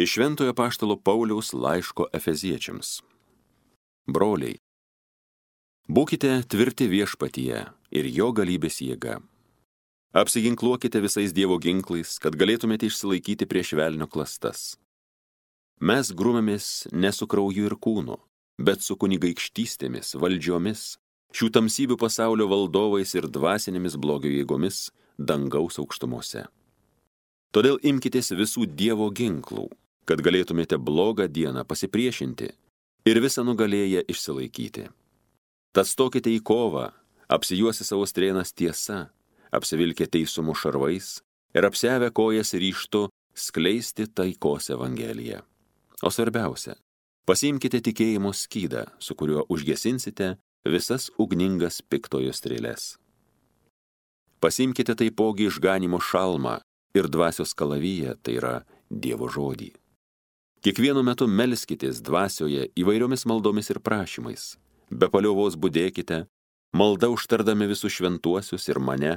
Iš Šventojo apaštalo Pauliaus laiško Efeziečiams. Broliai, būkite tvirti viešpatyje ir jo galybės jėga. Apsiginkluokite visais Dievo ginklais, kad galėtumėte išsilaikyti prieš velnio klastas. Mes grūmėmės ne su krauju ir kūnu, bet su kunigaikštystėmis, valdžiomis, šių tamsybių pasaulio valdovais ir dvasinėmis blogio jėgomis dangaus aukštumose. Todėl imkitės visų Dievo ginklų, kad galėtumėte blogą dieną pasipriešinti ir visą nugalėję išsilaikyti. Tad stokite į kovą, apsijuosi savo strėnas tiesa, apsivilkę teisumo šarvais ir apsiavę kojas ryžtu skleisti taikos evangeliją. O svarbiausia, pasiimkite tikėjimo skydą, su kuriuo užgesinsite visas ugningas piktojo strėles. Pasiimkite taipogi išganimo šalmą ir dvasios kalaviją, tai yra Dievo žodį. Kiekvienu metu melskitės dvasioje įvairiomis maldomis ir prašymais. Be paliovos budėkite, malda užtardami visus šventuosius ir mane,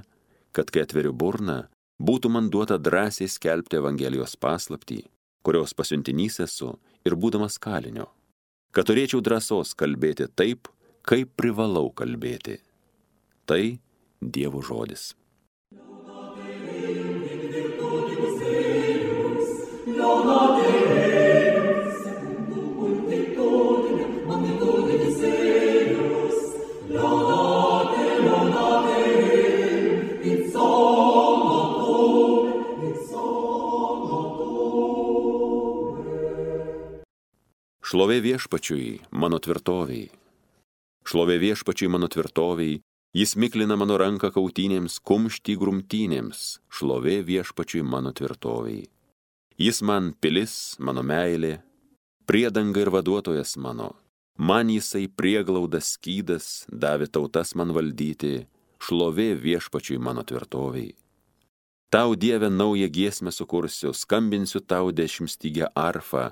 kad kai atveriu burną, būtų man duota drąsiai skelbti Evangelijos paslaptį, kurios pasiuntinys esu ir būdamas kalinio, kad turėčiau drąsos kalbėti taip, kaip privalau kalbėti. Tai Dievo žodis. Šlovė viešpačiui, mano tvirtoviai. Šlovė viešpačiui, mano tvirtoviai, jis miklina mano ranką kautynėms, kumštį grumtynėms. Šlovė viešpačiui, mano tvirtoviai. Jis man pilis, mano meilė, priedanga ir vaduotojas mano. Man jisai prieglaudas skydas, davė tautas man valdyti. Šlovė viešpačiui, mano tvirtoviai. Tau, Dieve, naują giesmę sukursiu, skambinsiu tau 10-stygę arfą.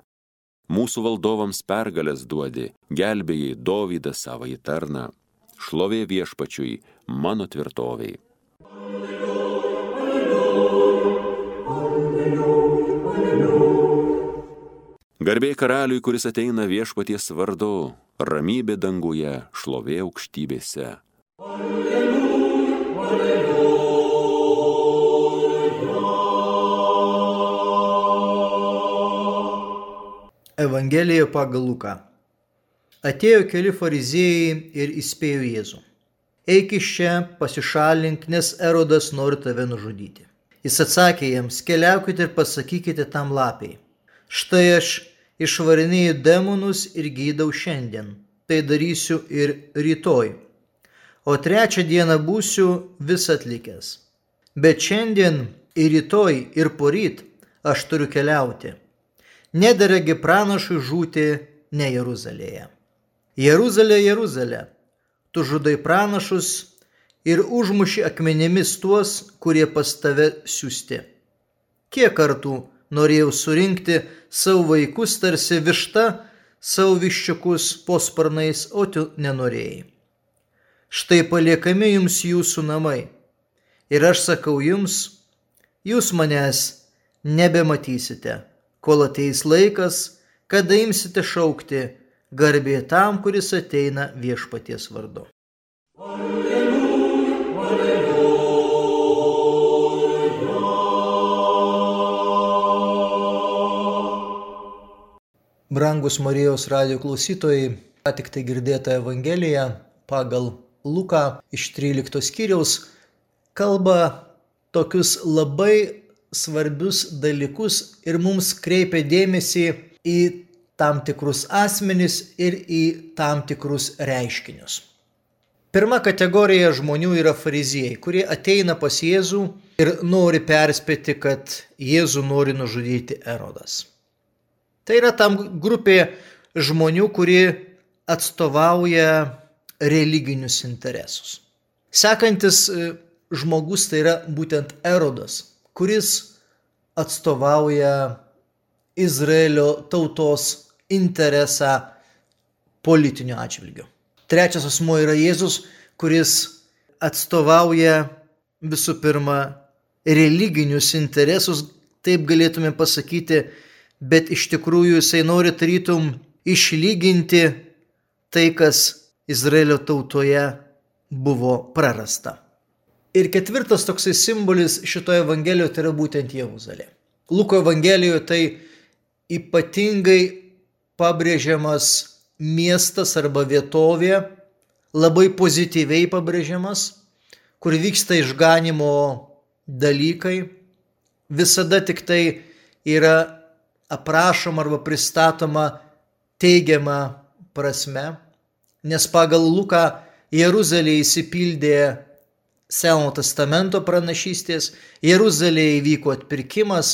Mūsų valdovams pergalės duodi, gelbėjai Dovydą savąjį tarną. Šlovė viešpačiui, mano tvirtoviai. Garbė karaliui, kuris ateina viešpaties vardu, ramybė danguje, šlovė aukštybėse. Evangelija pagal Luką. Atėjo keli fariziejai ir įspėjo Jėzų. Eik iš čia, pasišalink, nes Erodas nori tave nužudyti. Jis atsakė jiems, keliaukite ir pasakykite tam lapiai. Štai aš išvarinėju demonus ir gydau šiandien. Tai darysiu ir rytoj. O trečią dieną būsiu vis atlikęs. Bet šiandien ir rytoj ir poryt aš turiu keliauti. Nederegi pranašui žūti ne Jeruzalėje. Jeruzalė, Jeruzalė, tu žudai pranašus ir užmuši akmenėmis tuos, kurie pas tave siųsti. Kiek kartų norėjau surinkti savo vaikus tarsi višta, savo viščiukus po sparnais, o tu nenorėjai. Štai paliekami jums jūsų namai. Ir aš sakau jums, jūs manęs nebematysite, kol ateis laikas, kada imsite šaukti garbė tam, kuris ateina viešpaties vardu. Alleluja, alleluja. Brangus Marijos radijo klausytojai, ką tik tai girdėta Evangelija pagal Luką iš 13 skyriaus kalba tokius labai svarbius dalykus ir mums kreipia dėmesį į tam tikrus asmenis ir į tam tikrus reiškinius. Pirma kategorija žmonių yra fariziejai, kurie ateina pas Jėzų ir nori perspėti, kad Jėzų nori nužudyti Erodas. Tai yra tam grupė žmonių, kurie atstovauja religinius interesus. Sekantis žmogus tai yra būtent Erodas, kuris atstovauja Izraelio tautos interesą politiniu atžvilgiu. Trečias asmuo yra Jėzus, kuris atstovauja visų pirma religinius interesus, taip galėtume pasakyti, bet iš tikrųjų jisai nori tarytum išlyginti tai, kas Izraelio tautoje buvo prarasta. Ir ketvirtas toksai simbolis šitoje evangelijoje tai yra būtent Jeruzalė. Luko evangelijoje tai ypatingai pabrėžiamas miestas arba vietovė, labai pozityviai pabrėžiamas, kur vyksta išganimo dalykai, visada tik tai yra aprašoma arba pristatoma teigiama prasme, nes pagal Luką Jeruzalė įsipildė Senojo testamento pranašystės, Jeruzalėje įvyko atpirkimas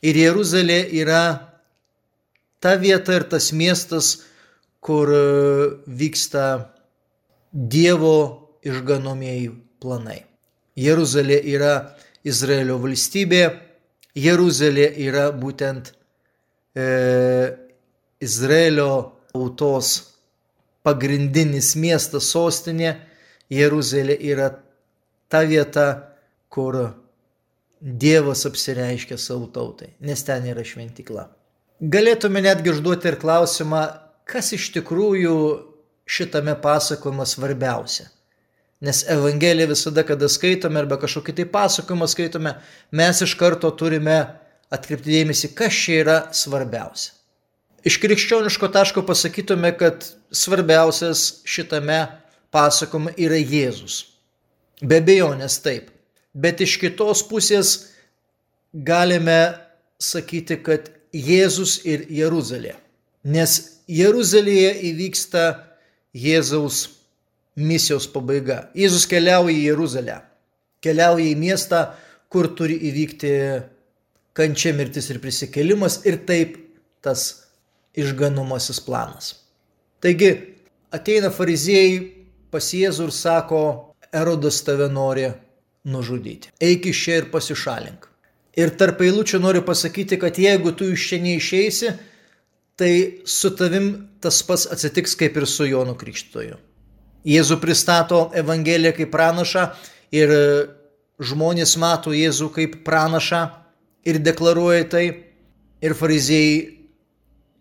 ir Jeruzalė yra ta vieta ir tas miestas, kur vyksta Dievo išganomieji planai. Jeruzalė yra Izraelio valstybė, Jeruzalė yra būtent Izraelio tautos pagrindinis miestas, sostinė. Jeruzalė yra ta vieta, kur Dievas apsireiškia savo tautai, nes ten yra šventykla. Galėtume netgi užduoti ir klausimą, kas iš tikrųjų šitame pasakojime svarbiausia. Nes Evangeliją visada, kada skaitome arba kažkokį tai pasakojimą skaitome, mes iš karto turime atkreipti dėmesį, kas čia yra svarbiausia. Iš krikščioniško taško pasakytume, kad svarbiausias šitame pasakojime yra Jėzus. Be abejonės taip. Bet iš kitos pusės galime sakyti, kad Jėzus ir Jeruzalė. Nes Jeruzalėje įvyksta Jėzaus misijos pabaiga. Jėzus keliauja į Jeruzalę. Keliauja į miestą, kur turi įvykti kančia, mirtis ir prisikėlimas ir taip tas išganomasis planas. Taigi ateina fariziejai pas Jėzų ir sako, Erodas tave nori nužudyti. Eik iš čia ir pasišalink. Ir tarp eilučių noriu pasakyti, kad jeigu tu iš čia neišeisi, tai su tavim tas pats atsitiks kaip ir su Jonu Krikštytoju. Jėzų pristato Evangeliją kaip pranašą ir žmonės mato Jėzų kaip pranašą ir deklaruoja tai. Ir fariziejai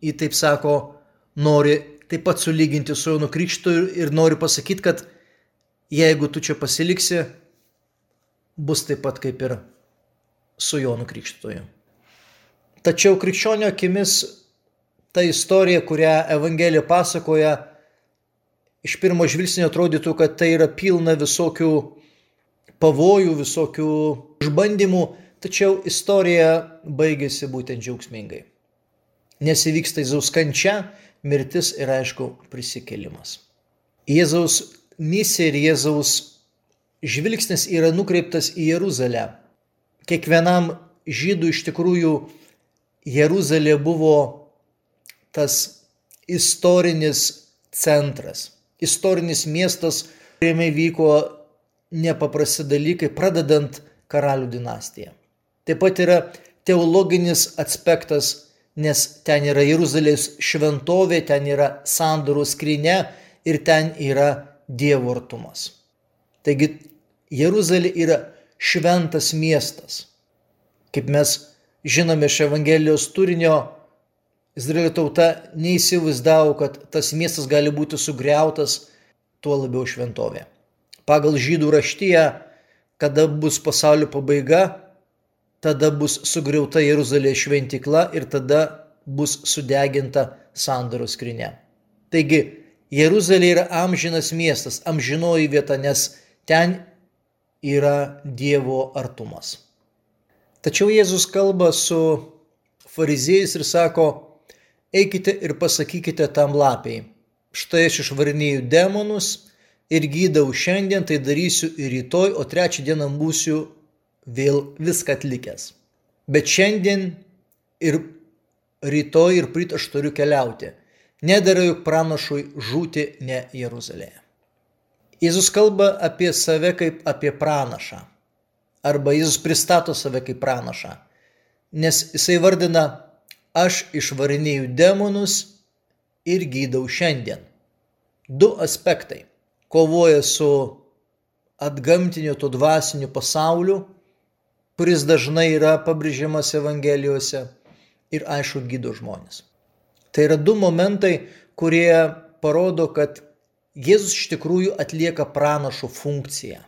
jį taip sako, nori taip pat sulyginti su Jonu Krikštytoju ir nori pasakyti, kad jeigu tu čia pasiliksi, bus taip pat kaip ir su Jonu Krikštytoju. Tačiau krikščionio akimis ta istorija, kurią Evangelija pasakoja, iš pirmo žvilgsnio atrodytų, kad tai yra pilna visokių pavojų, visokių išbandymų, tačiau istorija baigėsi būtent džiaugsmingai. Nes įvyksta Jėzaus kančia, mirtis ir aišku prisikėlimas. Jėzaus misija ir Jėzaus žvilgsnis yra nukreiptas į Jeruzalę. Kiekvienam žydų iš tikrųjų Jeruzalė buvo tas istorinis centras, istorinis miestas, kuriame vyko nepaprasti dalykai, pradedant karalių dinastiją. Taip pat yra teologinis aspektas, nes ten yra Jeruzalės šventovė, ten yra sandoros skrynia ir ten yra Dievo artumas. Taigi Jeruzalė yra šventas miestas. Kaip mes žinome iš Evangelijos turinio, Izraelio tauta neįsivaizdavo, kad tas miestas gali būti sugriautas, tuo labiau šventovė. Pagal žydų raštiją, kada bus pasaulio pabaiga, tada bus sugriauta Jeruzalės šventykla ir tada bus sudeginta sandoros skrynia. Taigi, Jeruzalė yra amžinas miestas, amžinoji vieta, nes ten yra Dievo artumas. Tačiau Jėzus kalba su fariziejais ir sako, eikite ir pasakykite tam lapiai, štai aš išvarinėju demonus ir gydau šiandien, tai darysiu ir rytoj, o trečią dieną būsiu vėl viską atlikęs. Bet šiandien ir rytoj ir pryt aš turiu keliauti. Nedera juk pranašui žūti ne Jeruzalėje. Jėzus kalba apie save kaip apie pranašą. Arba Jėzus pristato save kaip pranašą. Nes jisai vardina, aš išvarinėju demonus ir gydau šiandien. Du aspektai. Kovoja su atgamtiniu to dvasiniu pasauliu, kuris dažnai yra pabrėžiamas Evangelijose. ir aišku gydo žmonės. Tai yra du momentai, kurie parodo, kad Jėzus iš tikrųjų atlieka pranašo funkciją.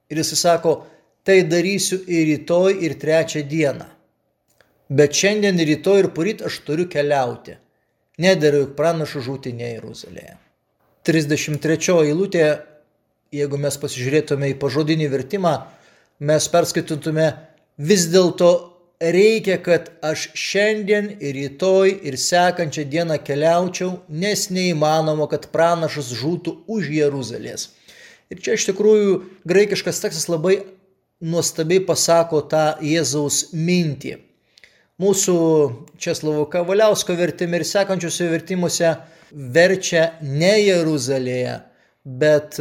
Ir jis sako, tai darysiu ir rytoj, ir trečią dieną. Bet šiandien, rytoj ir poryt aš turiu keliauti. Nedera juk pranašų žūti ne Jeruzalėje. 33 eilutė, jeigu mes pasižiūrėtume į pažodinį vertimą, mes perskaitytume, vis dėlto reikia, kad aš šiandien ir rytoj ir sekančią dieną keliaučiau, nes neįmanoma, kad pranašas žūtų už Jeruzalės. Ir čia iš tikrųjų graikiškas tekstas labai nuostabiai pasako tą Jėzaus mintį. Mūsų Česlovo Kavaliausko vertime ir sekančiuose vertimuose verčia ne Jeruzalėje, bet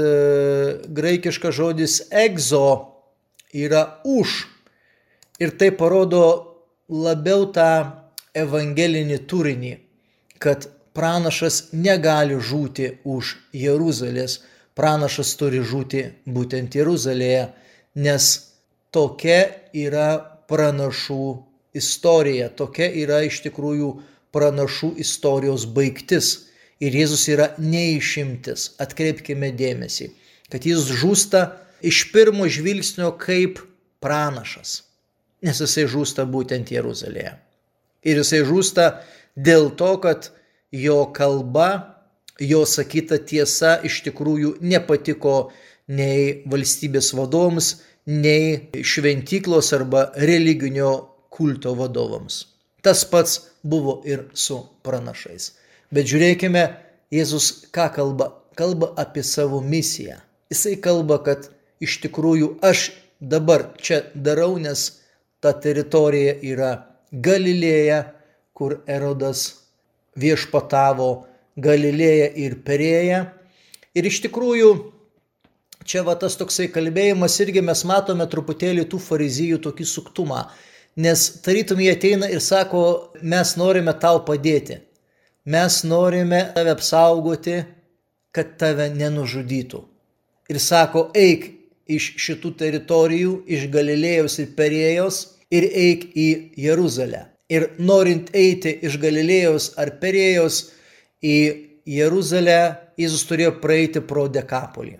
graikiškas žodis egzo yra už. Ir tai parodo labiau tą evangelinį turinį, kad pranašas negali žūti už Jeruzalės, pranašas turi žūti būtent Jeruzalėje, nes tokia yra pranašų istorija, tokia yra iš tikrųjų pranašų istorijos baigtis. Ir Jėzus yra neišimtis. Atkreipkime dėmesį, kad jis žūsta iš pirmo žvilgsnio kaip pranašas. Nes jisai žūsta būtent Jeruzalėje. Ir jisai žūsta dėl to, kad jo kalba, jo sakyta tiesa iš tikrųjų nepatiko nei valstybės vadovams, nei šventyklos arba religinio kulto vadovams. Tas pats buvo ir su pranašais. Bet žiūrėkime, Jėzus ką kalba? Kalba apie savo misiją. Jisai kalba, kad iš tikrųjų aš dabar čia darau, nes ta teritorija yra Galilėja, kur Erodas viešpatavo, Galilėja ir Perėja. Ir iš tikrųjų, čia va tas toksai kalbėjimas irgi mes matome truputėlį tų farizijų tokį suktumą. Nes tarytum jie ateina ir sako, mes norime tau padėti. Mes norime tave apsaugoti, kad tave nenužudytų. Ir sako, eik iš šitų teritorijų, iš Galilėjos ir Perėjos ir eik į Jeruzalę. Ir norint eiti iš Galilėjos ar Perėjos į Jeruzalę, Jėzus turėjo praeiti pro Dekapolį.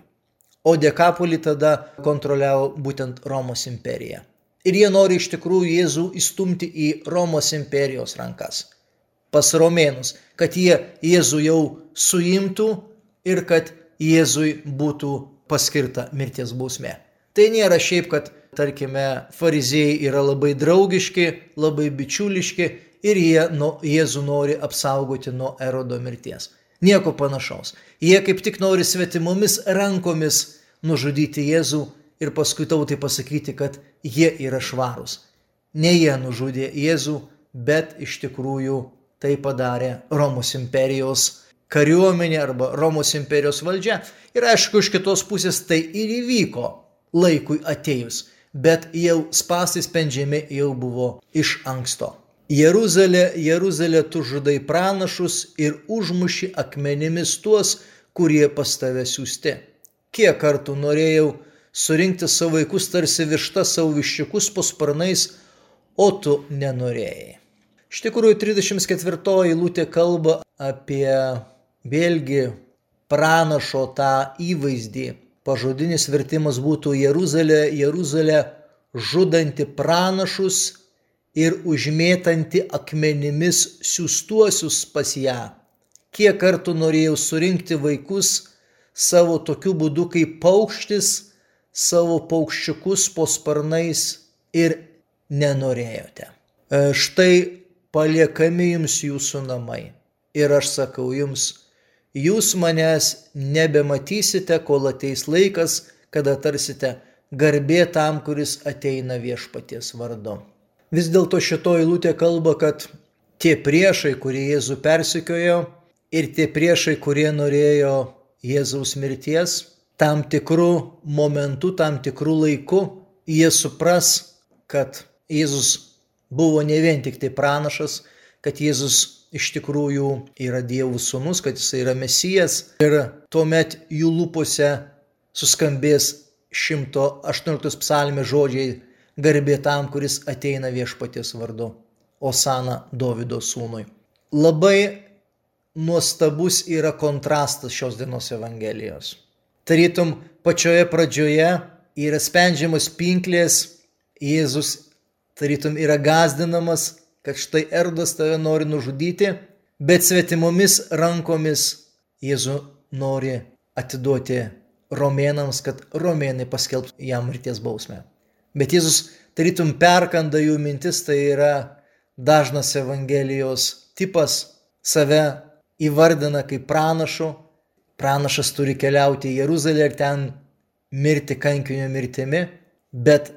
O Dekapolį tada kontroliavo būtent Romos imperija. Ir jie nori iš tikrųjų Jėzų įstumti į Romos imperijos rankas, pas romėnus, kad jie Jėzų jau suimtų ir kad Jėzui būtų paskirta mirties bausmė. Tai nėra šiaip, kad, tarkime, fariziejai yra labai draugiški, labai bičiuliški ir jie Jėzų nori apsaugoti nuo Erodo mirties. Nieko panašaus. Jie kaip tik nori svetimomis rankomis nužudyti Jėzų ir paskui tautai pasakyti, kad jie yra švarūs. Ne jie nužudė Jėzų, bet iš tikrųjų tai padarė Romos imperijos kariuomenė arba Romos imperijos valdžia. Ir aišku, iš kitos pusės tai ir įvyko laikui atėjus, bet jau spąstai spendžiami jau buvo iš anksto. Jeruzalė, Jeruzalė, tu žudai pranašus ir užmuši akmenimis tuos, kurie pas tave siųsti. Kiek kartų norėjau surinkti savo vaikus tarsi višta savo viščiukus po sparnais, o tu nenorėjai. Iš tikrųjų, 34 eilutė kalba apie vėlgi pranašo tą įvaizdį. Pažodinis vertimas būtų Jeruzalė, Jeruzalė, žudanti pranašus ir užmėtanti akmenimis siųstuosius pas ją. Kiek kartų norėjau surinkti vaikus savo tokiu būdu kaip paukštis, savo paukščiukus po sparnais ir nenorėjote. Štai paliekami jums jūsų namai. Ir aš sakau jums, jūs manęs nebematysite, kol ateis laikas, kada tarsite garbė tam, kuris ateina viešpaties vardu. Vis dėlto šito eilutė kalba, kad tie priešai, kurie Jėzų persekiojo ir tie priešai, kurie norėjo Jėzaus mirties, tam tikrų momentų, tam tikrų laikų, jie supras, kad Jėzus buvo ne vien tik tai pranašas, kad Jėzus iš tikrųjų yra Dievo sūnus, kad jis yra Mesijas. Ir tuomet jų lūpose suskambės 118 psalmės žodžiai: garbė tam, kuris ateina viešpaties vardu. Osana Dovydo sūnui. Labai nuostabus yra kontrastas šios dienos Evangelijos. Tarytum pačioje pradžioje yra spendžiamos pinklės, Jėzus tarytum yra gąsdinamas, kad štai Erodas tave nori nužudyti, bet svetimomis rankomis Jėzų nori atiduoti romėnams, kad romėnai paskelbtų jam mirties bausmę. Bet Jėzus tarytum perkanda jų mintis, tai yra dažnas Evangelijos tipas, save įvardina kaip pranašu. Pranašas turi keliauti į Jeruzalę ir ten mirti kankinio mirtimi, bet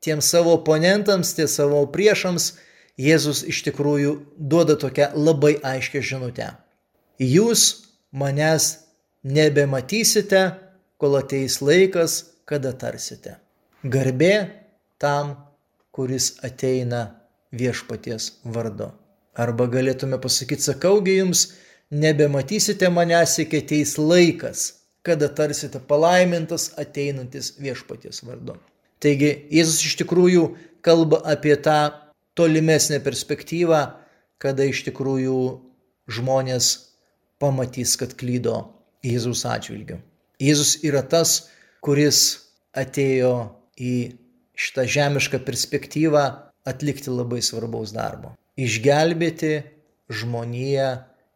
tiems savo oponentams, tie savo priešams Jėzus iš tikrųjų duoda tokią labai aiškią žinutę. Jūs manęs nebematysite, kol ateis laikas, kada tarsite. Garbė tam, kuris ateina viešpaties vardu. Arba galėtume pasakyti, sakaugi jums, nebematysite manęs, iki ateis laikas, kada tarsite palaimintas ateinantis viešpaties vardu. Taigi Jėzus iš tikrųjų kalba apie tą tolimesnę perspektyvą, kada iš tikrųjų žmonės pamatys, kad klydo Jėzaus atžvilgiu. Jėzus yra tas, kuris atėjo į šitą žemišką perspektyvą atlikti labai svarbaus darbo. Išgelbėti žmoniją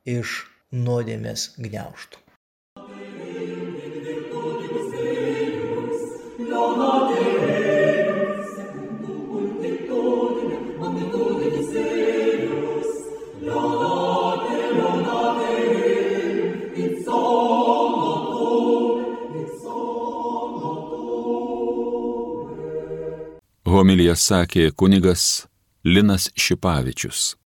iš nuodėmės gniaužtų. Homiliją sakė kunigas Linas Šipavičius.